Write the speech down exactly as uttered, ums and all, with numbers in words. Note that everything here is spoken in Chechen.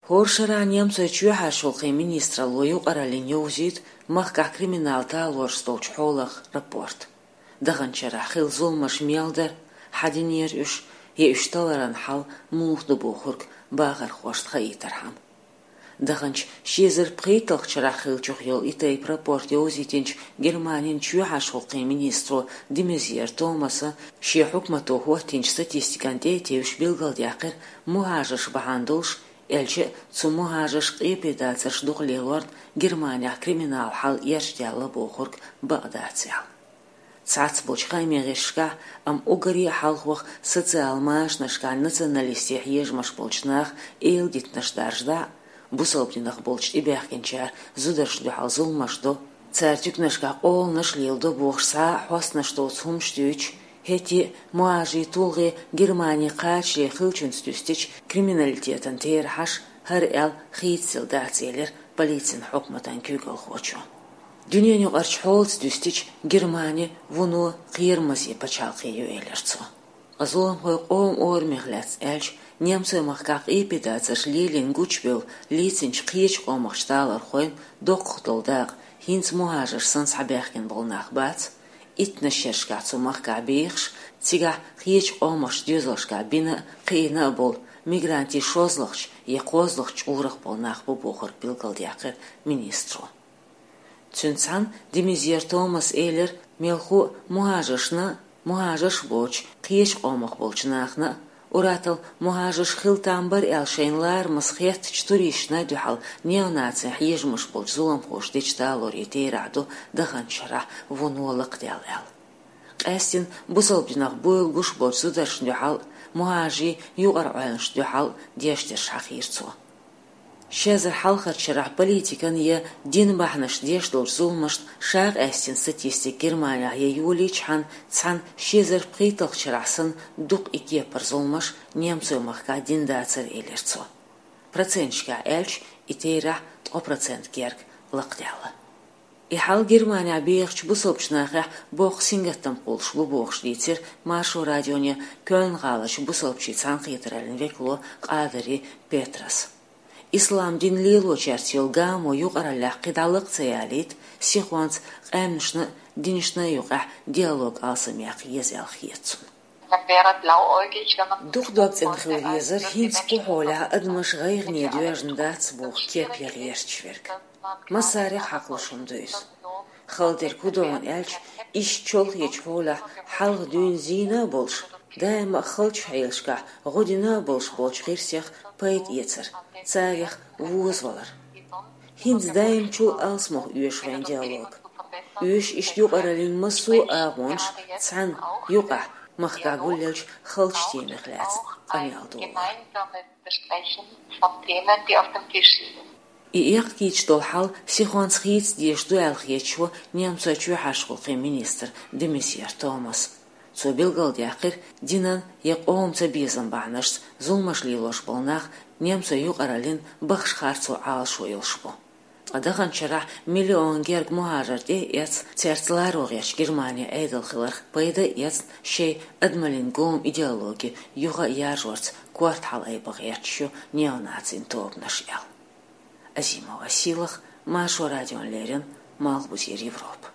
ХӀора шера немцойн чоьхьарчу гӀуллакхийн министралло юкъараллина йовзуьйту махкахь криминал талораш долчу хьолах рапорт. Даханчу шарахь хилла зуламаш мел дара, хьан динера уьш, я уьш талларан хьал муха ду бохург бахархошна хаийтархьама. Даханчу ши эзар пхийтталгӀачу шарахь хиллачух йолу и тайпа рапорт йовзийтинчу Германин чоьхьарчу гӀуллакхийн министро де Мезьер Томаса шен хьукмато хӀоттийначу статистикана тӀе а тевжаш билгалдаьккхира, мухӀажарш бахьана долуш, аьлча а цу мухӀажарша къепедацарш дукха лелорна Германехь криминал хьал эрчадаьлла бохург бакъ дац аьлла. Цхьацца болчу хаамийн гӀирсашкахь, амма уггаре а хьалхох социал-машанашкахь националистийн хьежамаш болчу наха эладитанаш даржадо, бусалба динах болчу тӀебаьхкинчара зударшна дуьхьал зуламаш до, цара туьканашкахь къоланаш леладо бохуш цхьа а хьостанаш доцу хӀуманаш дуьйцуш, хӀетте а мухӀажарийн тулгӀе Германи кхачале хиллачуьнца дуьстича криминалитетан терахьаш хӀара аьлла хийцаделла дац, элира полицин хьукматан куьйгалхочо. Дуьненаюкъарчу хьолаца дуьстича, Германи вуно кхерамаза пачхьалкх ю, элира цо. Ткъа зуламхой къоман орамех лаьцна аьлча, немцойн махкахь къепедацарш лелийна гучубевлла лецначу кхечу къомах талорхойн доккхах долу дакъа хӀинца мухӀажарш санна схьабаьхкина болу нах бац, иттаннаш шерашкахь цу махкахь бехаш, цигахь кхечу къомах доьзалшкахь бина а, кхиъна а болу мигрантийн шозлагӀчу я кхозлагӀчу чкъурах болу нах бу бохург билгалдаьккхира министро. Цуьнца цхьаьна де Мезьер Томаса элира, мелхо а мухӀажаршна, мухӀажарш боцуш кхечу къомах болчу нахана а, уьттазза мухӀажарш хила там бара аьлла шайна ларамаза хеттачу туристашна а дуьхьал неонацийн хьежамаш болчу зуламхоша дечу талорийн терахь ду даханчу шарахь вуно лакхадаьлла аьлла. Къаьсттина бусалба динах буйла гуш болчу зударшна дуьхьал а, мухӀажарийн юкъара Ӏуьллушна дуьхьал а деш дерш хьахийра цо. Ши эзар хьалхарчу шарахь политикан я динан бахьанашца деш долчу зуламашна ша къаьсттина статистика Германехь я йолийчхьана, цхьана ши эзар пхийтталгӀачу шарахь санна дукха и кепара зуламаш немцойн махкахь дина дацара, элира цо. Проценташкахь аьлча, и терахь ткъа процент герга лакхадаьлла. И хьал Германехь бехачу бусалбачу нахехь боккха сингаттам кхуллуш бу бохуш дийцира Маршо радионе Кёльн-гӀалачу бусалбачийн цхьаьнакхетараллин векало Къадари Петрас. Ислам дин лелочаьрца йолу гамо юкъараллехь кхидӀа лакха ца ялийта, сихонца къаьмнашна а, динашна а юкъахь диалог алсамъяккха еза аьлла хета цунна. Дукха дог цӀена хила везара, хӀинца кху хьолехь адамаш гӀайгӀане доьжна дац боху кеп ян гӀерташ верг. Массарех хьакхалуш хӀума ду иза. Хала дерг хӀун ду аьлча, иштта чолхечу хьолехь хьалха дуьйна зийна а болуш, даима а халчу хьелашкахь гӀо дина а болуш болчу гӀирсех пайда эцар, царех возавалар. ХӀинца даимчул алсамох оьшу вайн диалог. Оьшу иштта юкъараллин массо а агӀонаш цхьаьна, юкъахь, махкахь гулъеллачу халчу темех лаьцна къамел долор. И эккхийташ долу хьал сихонца хийца дезаш ду аьлла хеташ ву немцойн чоьхьарчу гӀуллакхийн министр де Мезьер Томас. Цо билгалдаьккхира, динан я къоман цабезам бахьанашца зуламаш лелош болу нах немцойн юкъараллин бахаш харцо Ӏалашо йолуш бу. Ткъа даханчу шарахь миллион герга мухӀажар тӀе а эцна, цаьрца ларо гӀерташ Германи Ӏедал хиларх пайда а эцна, шайн адамаллин гоман идеологи юха а яржорца корта хьалаайба гӀерташ ю неонацийн тобанаш аьлла. Азимова Сийлаха, Маршо радиона леррина, Малхбузера Европа.